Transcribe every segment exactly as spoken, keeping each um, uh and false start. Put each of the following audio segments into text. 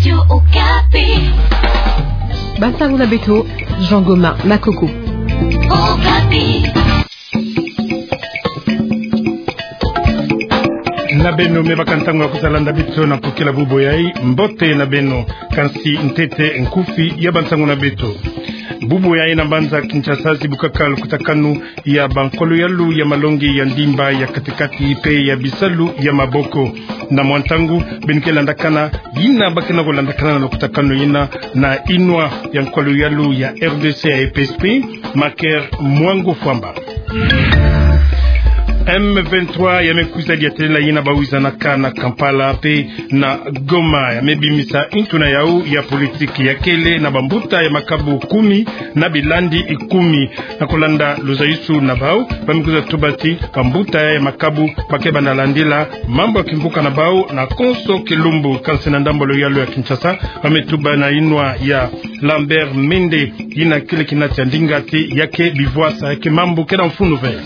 Radio Okapi. Bantango na beto, Jean Goma Makoko. Okapi. Na beno me baka ntango ya kutalanda beto na mpokela bubu yayi, mbote na beno. Kansi ntete nkufi ya bantango na beto. Bubu yayi na mbanza Kinshasa zibukaka lukutakanu ya bankolo yalu ya malongi ya ndimba ya kati-kati pe ya bisalu ya maboko. Na mwa ntango, beno ke landakana yina ba kena ko landakana na lukutakanu yina na inwa ya nkolo yalu ya R D C ya E P S P, Maker Mwango Fwamba. M vingt-trois ya me kwiza diatela yina ba wizanaka na Kampala pe na Goma, ya me bimisa ntuna yawu ya politiki ya kele na bambuta ya makabu kumi na bilandi kumi. Na kulanda luzayusu na bawu, ba me kwiza tuba ti bambuta ya makabu ba ke banda landila mambu ya kimvuka na bawu na konso kilumbu. Kansi na ndambu ya luyalu ya Kinshasa, ba me tuba na inwa ya Lambert Mende, yina kele kinati ya ndinga ti ya ke bivwasa, ya ke mambu ke na mfunu ve.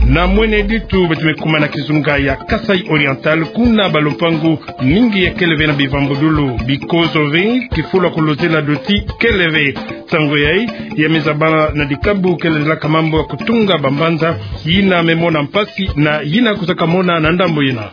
Na mwene ditu beto me kuma na kizunga ya Kasaï Oriental, kuna balupangu mingi ya kele ve na bivambudulu, bikozo ve kifulu ya kulozela doti kele ve. Nsangu yayi ya me zaba na dikabu ke landilaka mambu ya kutunga bambanza yina me mona mpasi na yina kwizaka mona na ndambu yina.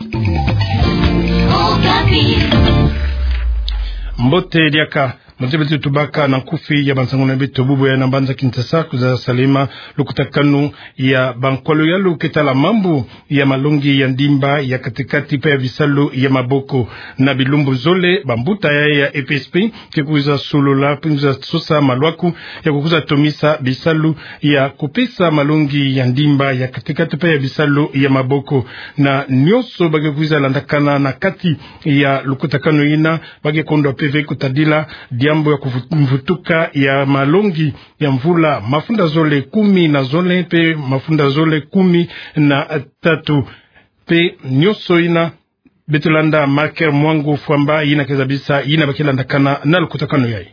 Mbote diaka. Mbote, beto tubaka na nkufi ya bansangu na beto bubu yayi na mbanza Kinshasa, kwiza salama lukutakanu ya bankolo yalu ke tala mambu ya malongi ya ndimba ya kati-kati pe ya bisalu ya maboko. Na bilumbu zole, bambuta yayi ya E P S P ke kwiza solola pe kwiza sosa malwaku ya kukwiza tomisa bisalu ya kupesa malongi ya ndimba ya kati-kati pe ya bisalu ya maboko. Na nyonso ba ke kwiza landakana na kati ya lukutakanu yina, ba ke kondwa pe ve kutadila diambu ya kuvu-, mvutuka ya malongi ya mvula mafunda zole kumi na zole pe mafunda zole kumi na tatu. Pe nyonso yina, beto landa Maker Mwango Fwamba, yina ke zabisa yina ba ke landakana na lukutakanu yayi.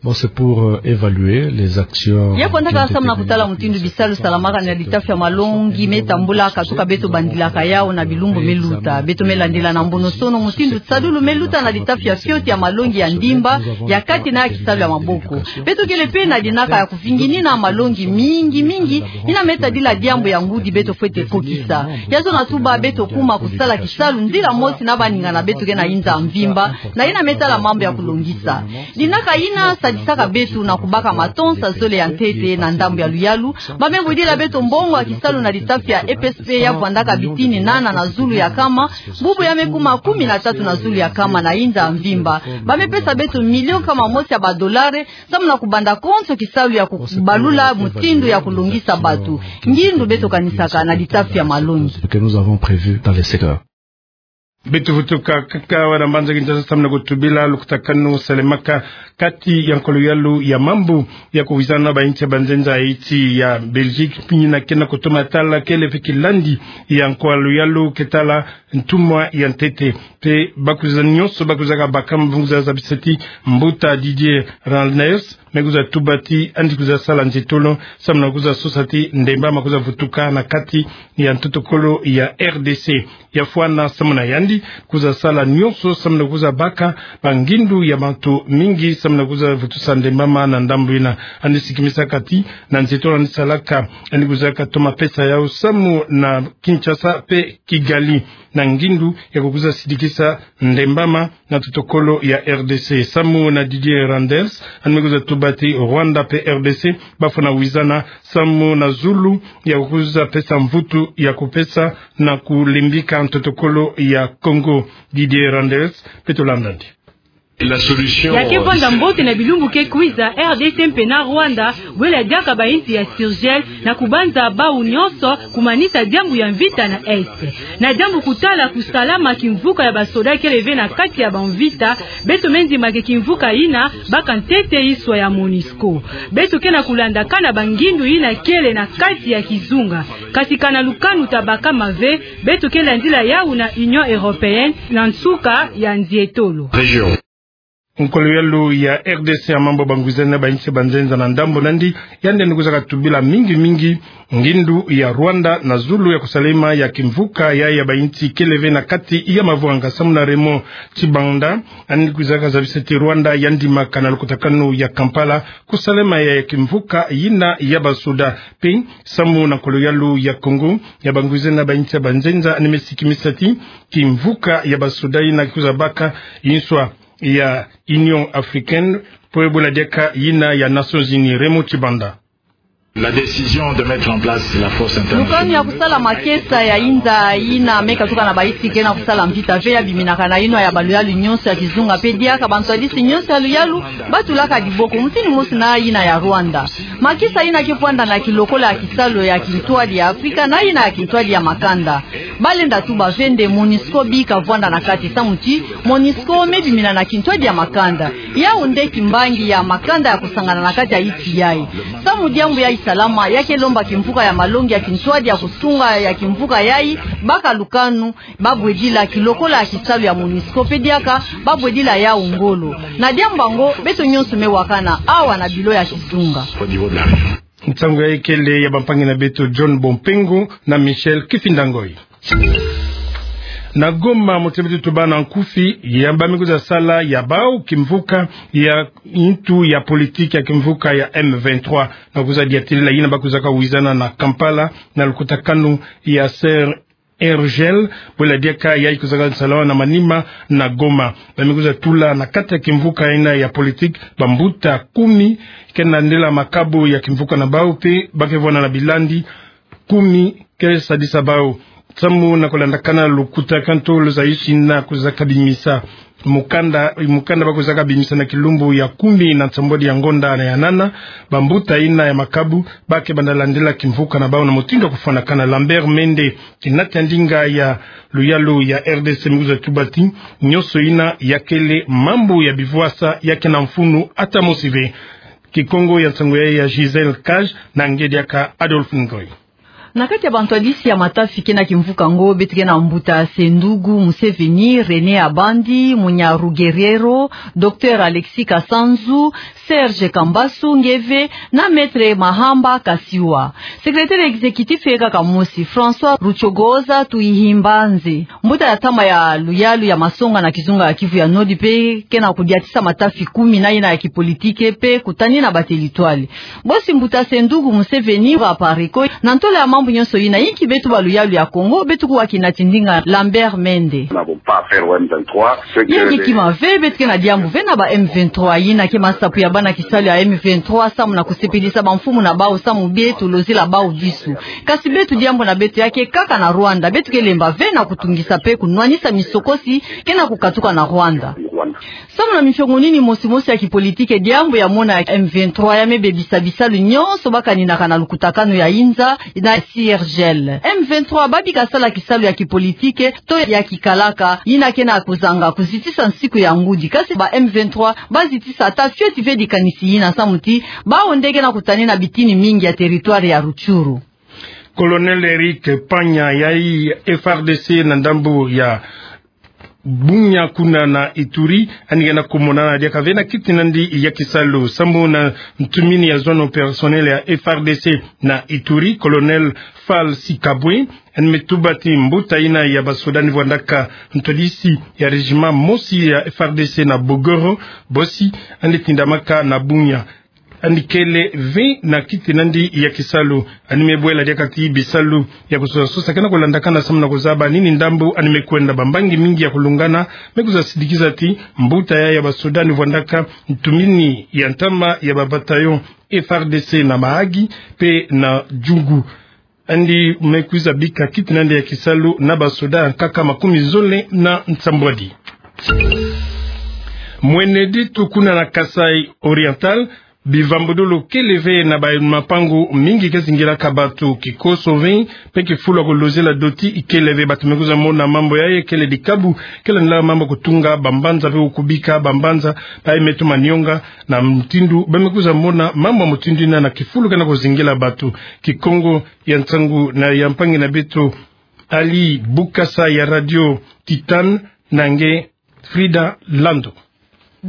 Bon, c'est pour, euh, évaluer les actions qui ont été menées depuis un certain temps. Ya fwandaka samu na kutala mutindu bisalu salamaka na litafi ya malongi me tambula, katuka beto bandilaka yawu na bilumbu me luta. Beto me landila na mbonosono mutindu tisadulu me luta na litafi ya fioti ya malongi ya ndimba ya kati na ya kisalu ya maboko. Beto kele pe na dinaka ya kuvinginina malongi mingi mingi yina me tadila diambu ya ngudi beto fwete kokisa. Ya zona tuba beto kuma kusala kisalu nzila mosi na baninga na beto ke na inza mvimba, na yina me tala mambu ya kulongisa. Dinaka yina sadisaka beto na kubaka matonsa zole ya ntete na ndambu ya luyalu. Ba me budila beto mbongo ya kisalu na litafi ya E P S P ya vwandaka bitini nana na zulu ya kama, bubu ya me kuma kumi na tatu na zulu ya kama na inza mvimba. Ba me pesa beto milio kama mosi ya badolare, samu na kubanda konso kisalu ya kubalula mutindu ya kulongisa bato. Ngindu beto kanisaka na litafi ya malongi. Ce que nous avons prévu dans les secteurs. Beto vutuka kaka awa na mbanza Kinshasa samu na kutubila lukutakanu salemaka kati ya nkolo yalu ya mambu ya kuwizana ba insi ya banzenza ya iti ya Belgique, pe yina ke na kutoma tala kele pe kilandi ya nkolo yalu ke tala ntumwa ya ntete. Pe bakwiza nyonso bakwizaka baka mvungu za zabisa ti mbuta Didier Randers me kwiza tuba ti yandi kwiza sala nzietolo samu na kwiza sosa ti ndembama kwiza vutuka na kati ya ntotokolo ya R D C. Ya fwana samu na yandi kwiza sala nyonso samu na kwiza baka bangindu ya bantu mingi samu na kwiza vutusa ndembama na ndambu yina. Yandi sikimisaka ti na nzietolo yandi salaka, yandi kwizaka toma pesa yawu samu na Kinshasa pe Kigali na ngindu ya kukwiza sidikisa ndembama na ntotokolo ya R D C. Samu na Didier Randers, yandi me kwiza tuba ti Rwanda pe R D C bafwana wizana samu na zulu ya kukwiza pesa mvutu ya kupesa na kulimbika ntotokolo ya Congo. Didier Randers, beto landa yandi. La solution, ya ke vwanda mbote na bilumbu ke kwiza, R D C mpe na Rwanda bwela diaka ba insi ya surgel na kubanza bawu nyonso kumanisa diambu ya mvita na Est. Na diambu kutala kusalama kimvuka ya basoda kele ve na kati ya bamvita, beto me ndima ke kimvuka yina baka ntete iswa ya MONUSCO. Beto ke na kulandakana bangindu yina kele na kati ya kizunga. Kasi kana lukanu tabakama ve, beto ke landila yawu na Union Européenne na nsuka ya nzietolo. Région. Nkolo yalu ya R D C ya mambu bangwiza na bainsi banzenza na ndambu nandi, yandi ni kwiza katubila mingi mingi ngindu ya Rwanda na zulu ya kusalema ya kimvuka ya, ya bainsi kele ve na kati ya mavwanga. Samu na Raymond Tshibanda, yandi ni kwiza kazabisa ti Rwanda yandi maka na lukutakanu ya Kampala kusalema ya, ya kimvuka yina ya basoda. Mpe samu na nkolo yalu ya Congo ya bangwiza na bainsi banzenza, yandi me sikimisa ti kimvuka ya basoda yina ki kwiza baka inswa ya Union Africaine, mpe bwela diaka yina ya Nations Unies. Raymond Tshibanda. La décision de mettre en place la force internationale. Lukanu ya kusala makesa ya inza yina me katuka na bainsi ke na kusala mvita ve ya biminaka na yinwa ya baluyalu nyonso ya kizunga, mpe diaka bantwadisi nyonso ya luyalu batulaka diboko, mfini mosi na yina ya Rwanda. Makesa yina ke vwanda na kilokola ya kisalu ya kintwadi ya Afrika na yina ya kintwadi ya makanda. Balenda tuba ve nde MONUSCO bika vwanda na kati, samu ti MONUSCO me bimina na kintwadi ya makanda. Yawu nde kimbangi ya makanda ya kusangana na kati ya insi yayi. Samu diambu yayi salama, ya ke lomba kimvuka ya malongi ya kintwadi ya kusunga ya kimvuka yayi baka lukanu, babwedila kilokola ya kisalu ya MONUSCO, mpe diaka babwedila yawu ngolo. Na diambu yango beto nyonso me wakana awa na bilo ya kizunga. Nsangu yayi kele ya bampangi na beto John Bompengo na Michel Kifinda Ngoyi. Na Goma, moto beto tuba na nkufi, ya ba me kwiza sala ya bawu kimvuka ya ntu ya politique ya kimvuka ya M vingt-trois, na kwiza diatilila yina ba kwizaka wizana na Kampala na lukutakanu ya Sergel, bwela diaka yayi kwizaka salama na manima na Goma. Ba me kwiza tula na kati ya kimvuka yina ya politique bambuta kumi, ke na ndela makabu ya kimvuka na bawu, mpe ba ke vwanda na bilandi kumi ke sadisa bawu. Samu na kulandakana lukutakanu tolo za insi yina kwizaka bimisa mukanda, mukanda ba kwizaka bimisa na kilumbu ya kumi na nsambwadi ya ngonda na ya nana, bambuta yina ya makabu ba ke banda landila kimvuka na bawu na mutindu ya kufwanakana. Lambert Mende, kinati ya ndinga ya luyalu ya R D C, me kwiza tuba ti nyonso yina ya kele mambu ya bivwasa, ya ke na mfunu ata mosi ve. Kikongo ya nsangu yayi ya Gisèle Cage, na nge diaka Adolphe Ngoyi. Na kati ya bantwadisi ya matafi ke na kimvuka ngo, beto ke na mbuta Sendugu Museveni, René Abandi, Munya Rugereiro, Docteur Alexis Kasanzu, Serge Kambasu nge ve, na Maître Mahamba Kasiwa. Secrétaire exécutif yeka kamosi, François Rucogoza Tuihimbanze. Mbuta ya ntama ya luyalu ya masonga na kizunga ya Kivu ya Nord mpe ke na kudiatisa matafi kumi na yina ya kipolitique mpe kutani na batelitwale. Bosi mbuta Sendugu Museveni wa Pareko, na ntolo ya mambu nyonso yina, inki beto baluyalu ya Kongo beto kuwa kinati ndinga? Lambert Mende. Nous n'avons pas affaire au M vingt-trois. Yinki kima ve, beto ke na diambu ve na ba M vingt-trois, yina ke masapo ya bana kisalu ya M vingt-trois, samu na kusepelisa bamfumu na bawu, samu beto lozila bawu disu. Kasi beto diambu na beto ya ke kaka na Rwanda, beto ke lemba ve na kutungisa mpe kunwanisa misokosi ke na kukatuka na Rwanda. Samu na mifiongo nini mosi mosi ya kipolitique, diambu ya mona ya M vingt-trois ya me bebisa bisalu nyonso ba kaninaka na lukutakanu ya inza na Sergel. M vingt-trois ba bika sala kisalu ya kipolitique to ya kikalaka, yina ke na kuzanga kuzitisa nsiku ya ngudi. Kasi ba M vingt-trois ba zitisa ata fioti ve dikanisi yina, samu ti bawu nde ke na kutani na bitini mingi ya territoire ya Rutshuru. Colonel Eric Panya, yayi F A R D C na ndambu ya Bunia kuna na Ituri, yandi ke na kumonana diaka ve na kiti nandi ya kisalu. Samu na ntumini ya zone opérationnelle ya F A R D C na Ituri, Colonel Fall Sikabwe, yandi me tuba ti mbuta yina ya basoda ni vwandaka ntwadisi ya régiment mosi ya F A R D C na Bogoro, bosi yandi tindamaka na Bunia. Yandi kele ve na kiti nandi ya kisalu. Yandi me bwela diaka ti bisalu ya kusosa sosa ke na kulandakana samu na kuzaba nini ndambu yandi me kwenda. Bambangi mingi ya kulungana me kwiza sidikisa ti mbuta yayi ya basoda ni vwandaka ntumini ya ntama ya ba bataillon F A R D C na Mahagi mpe na Djugu. Yandi me kwiza bika kiti nandi ya kisalu na basoda nkaka makumi zole na nsambwadi. Mwene ditu kuna na Kasaï Oriental, bivambudulu kele ve na ba mapangu mingi ke zingilaka batu. Kikoso ve mpe kifulu ya kulozela doti ikele ve. Batu me kwiza mona mambu yayi kele dikabu, kele nla mambu kutunga bambanza mpe kubika bambanza, bayi me tuma nionga na mutindu ba me kwiza mona mambu ya mutindu yina na kifulu ke na kuzingila batu. Kikongo ya nsangu na ya mpangi na beto Ali Bukasa ya Radio Titan, na nge Frida Lando.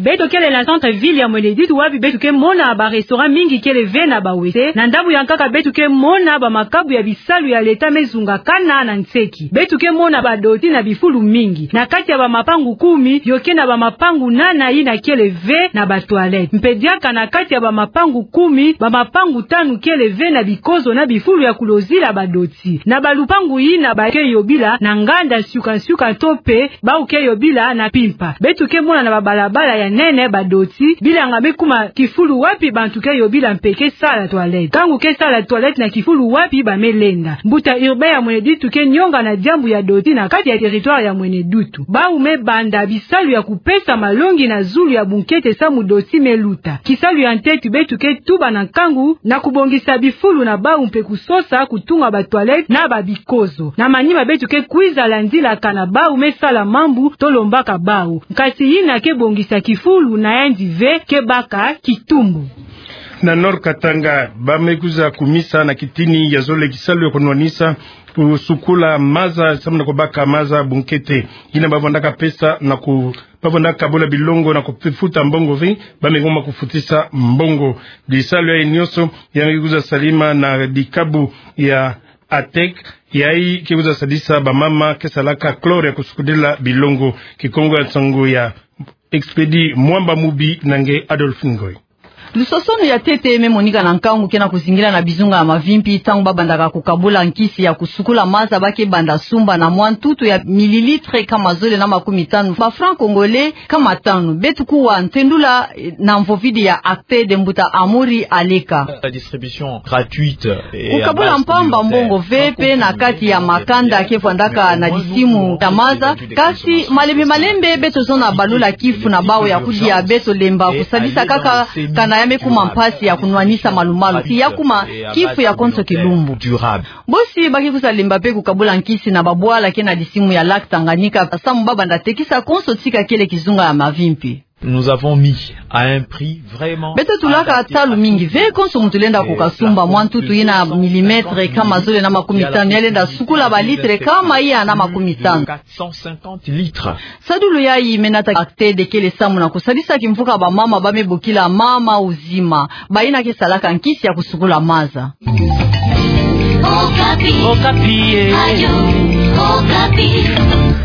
Beto kele na centre-ville ya Mweneditu wapi beto ke mona ba restaurant mingi kele ve na bawese. Na ndambu ya nkaka beto ke mona ba makabu ya bisalu ya leta me zungakana na nseki. Beto ke mona ba doti na bifulu mingi. Na kati ya ba mapangu kumi, yo ke na ba mapangu nana yina kele ve na ba toilette. Mpe diaka na kati ya ba mapangu kumi, ba mapangu tanu kele ve na bikozo na bifulu ya kulozila ba doti. Na ba lupangu yina ba ke yobila na nganda nsiuka nsiuka to mpe bau ke yobila na mpimpa. Beto ke mona na ba balabala ya nene ba doti, bilanga me kuma kifulu wapi bantu ke yobila mpe ke sala toilette. Nkangu ke sala toilette na kifulu wapi ba me lenda. Mbuta urbain ya Mweneditu ke nionga na diambu ya doti na kati ya territoire ya Mweneditu. Bau me banda bisalu ya kupesa malongi na zulu ya bunkete samu doti me luta. Kisalu ya ntete beto ke tuba na nkangu na kubongisa bifulu na bau mpe kusosa kutunga ba toilette na ba bikozo. Na manima beto ke kwiza landilaka na bau me sala mambu to lombaka bau. Nkasi yina ke bongisa kifulu na yandi ve, ke baka kitumbu. Na Nord Katanga, ba me kwiza kumisa na kitini ya zole kisalu ya kunwanisa, kusukula maza, samu na kubaka maza bunkete. Yina ba vandaka pesa na ku- ba vandaka kabula bilongo na kufuta mbongo ve, ba me ngoma kufutisa mbongo. Bisalu yayi nionso, ya me kwiza salama na dikabu ya ATEC, yayi ke kwiza sadisa ba mama ke salaka chlore ya kusukudila bilongo. Kikongo ya nsangu ya Expedi Mwamba Mubi na nge Adolphe Ngoy. Lusosonu ya ntete me monika na nkangu ke na kuzingila na bizunga ya mavimpi, ntangu ba bandaka kukabula nkisi ya kusukula maza, ba ke banda sumba na mwa ntutu ya millilitres nkama zole na makumi tanu, ba francs congolais nkama tanu. Beto kuwa ntendula, eh, na mvovidi ya ACTED, mbuta Amuri Aleka. La distribution gratuite. Kukabula mpamba mbongo ve mpe na kati ya makanda ke vandaka na disimu ya maza, kasi malembe malembe beto zona balula kifu na bau ya kudia, beto lemba kusadisa kaka kana ya me kuma mpasi ya kunwanisa malumalu, si ya kuma kifu ya konso kilumbu. Bosi ba ke kwiza lemba mpe kukabula nkisi na babwala ke na disimu ya lac Tanganyika, samu ba banda tekisa konso tika kele kizunga ya mavimpi. Nous avons mis à un prix vraiment adapté à tout le monde. Beto tulaka ntalu mingi ve konso muntu lenda kukasumba. Mwa ntutu yina milimetre nkama zole na makumi tanu, ya lenda sukula ba litre nkama iya na makumi tanu. Quatre cent cinquante litres. Sadulu yayi me nata ACTED kele samu na kusadisa kimvuka ba mama ba me bokila mama uzima, bayina ke salaka nkisi ya kusukula maza. Okapi. Okapi, eh. Radio Okapi.